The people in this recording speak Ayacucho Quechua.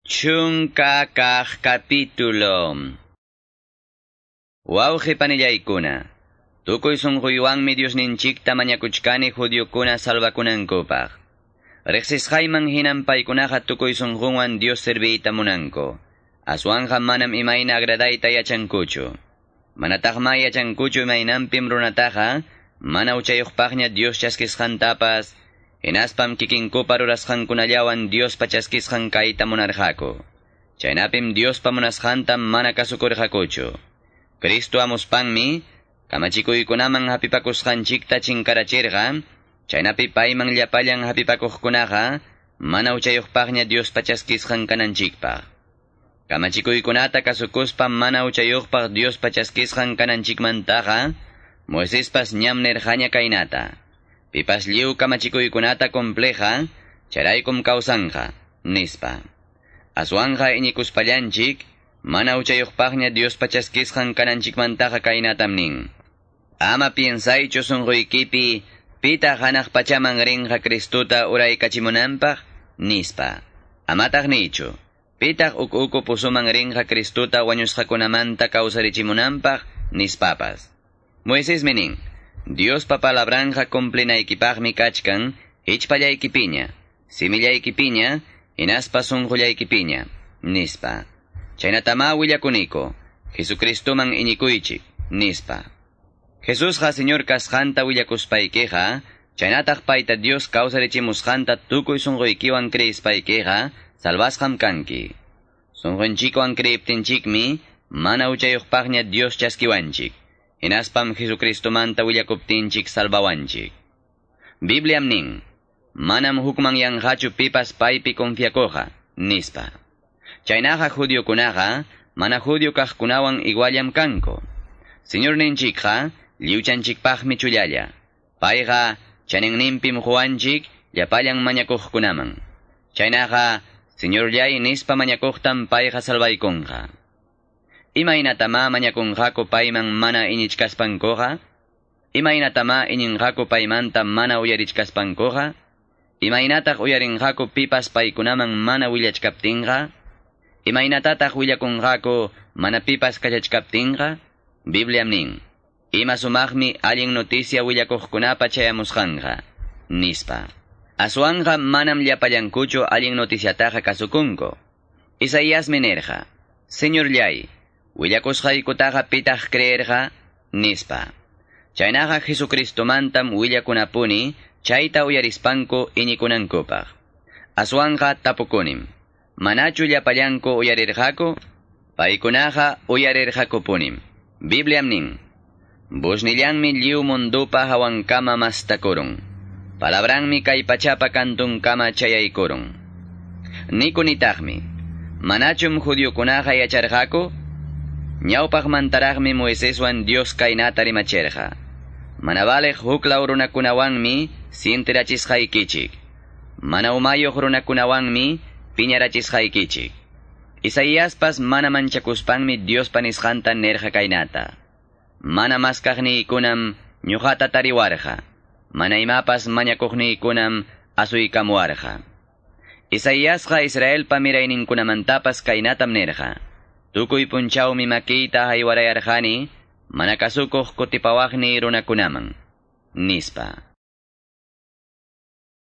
Chunka kaq capítulo. Wawqi panillaykuna, tukuy sunquywanmi Diosninchikta mañakuchkani judiokuna salvakunankupaq. Riqsisqayman hinan paykunaqa tukuy sunqunwan Dios serviyta munanku. Aswanja manam imayna agradayta yachankuchu. Manataqma yachankuchu imaynanpim runataqa, mana uchayuqpaqña Dios chaskisqantapas, hinaspam kikinkupa rurasqankunallawan Diospa chaskisqan kayta munarqaku. Chaynapim Diospa munasqanta mana kasukurqakuchu. Cristo amuspanmi, kamachikuykunaman hapipakusqanchikta chinkarachirqa, chaynapi payman llapallan hapipakuqkunaqa, mana uchayuqpaqña Diospa chaskisqan kananchikpaq. Kamachikuykunata kasukuspa mana uchayuqpaq Diospa chaskisqan kananchikmantaqa, Moisespas ñam nirqaña kaynata. Pipas lliw kamachikuykunata compleja, charaykum kawsanja, nispa. Aswanja iñikuspallanchik, mana uchayuqpaqña Diospa chaskisqan kananchikmantaqa kaynatam nin. Ama piensaychu sunquykipi, pitaq hanaq pachaman rinqa Cristuta uraykachimunanpaq, nispa. Amataq niychu, pitaq uk uku pusuman rinqa Cristuta wañusqakunamanta kawsarichimunanpaq, nispapas. Moisesmi nin, Diospa palabranja cumplinaykipaqmi kachkan, hichpallaykipiña, simillaykipiña, hinaspa sunqullaykipiña, nispa. Chaynatama willakuniko, Jesucristoman iñikuychik, nispa. Jesusqa Señor kasqanta willakuspaykiqa, chaynataq payta Dios kawsarichimusqanta tukuy sunquykiwan creyispaykiqa, salvasqam kanki. Sunqunchikwan creyiptinchikmi, mana uchayuqpaqña Dios chaskiwanchik. Hinaspam Jesucristomanta willakuptinchik salvawanchik. Bibliam nin, manam hukmanyanqachu pipas paypi confiakuqa, nispa. Chaynaqa judiokunaqa, mana judio kaqkunawan iguallam kanku. Señor ninchikqa, lliwchanchikpaqmi chullalla. Payqa, chaninninpim quwanchik, llapallan mañakuqkunaman. Chaynaqa, Señorllay nispa mañakuqtam payqa salvaykunqa. Imaynatama mañakunqaku payman mana iñichkaspankuqa? Imaynatama iñinqaku paymanta mana uyarichkaspankuqa? Imaynataq uyarinqaku pipas paykunaman mana willachkaptinqa? Imaynatataq willakunqaku mana pipas kachachkaptinqa? Bibliam nin, ima sumaqmi allin noticia willakuqkunapa chayamusqanqa, nispa. Aswanqa manam llapallankuchu allin noticiataqa kasukunku. Isaíasmi nirqa, Señorllay, willakusqaykutaqa pitaq creerqa, nispa. Chaynaqa Jesucristomantam willakunapuni, chayta uyarispanku iñikunankupaq. Aswanqa tapukunim, manachu llapallanku uyarirqaku? Paykunaqa uyarirqakupunim. Bibliam nin, busnillanmi lliw mundupa hawankama mastakurun. Palabranmi kay pachapa kantunkama chayaykurun. Nikunitaqmi, manachum judiokunaqa yacharqaku? Ñawpaqmantaraqmi Moiseswan Dios kaynata rimachirqa. Mana valeq huklaw runakunawanmi sintirachisqaykichik. Mana umayuq runakunawanmi piñarachisqaykichik. Isaíaspas mana manchakuspanmi Diospa nisqanta nirqa kaynata. Mana maskaqniykunam ñuqata tariwarqa. Mana imapas mañakuqniykunam asuykamuwarqa. Isaíasqa Israelpa mirayninkunamantapas kaynatam nirqa. Tukuy punchawmi makiyta haywarayarqani, mana kasukuq kutipawaqni runakunaman, nispa.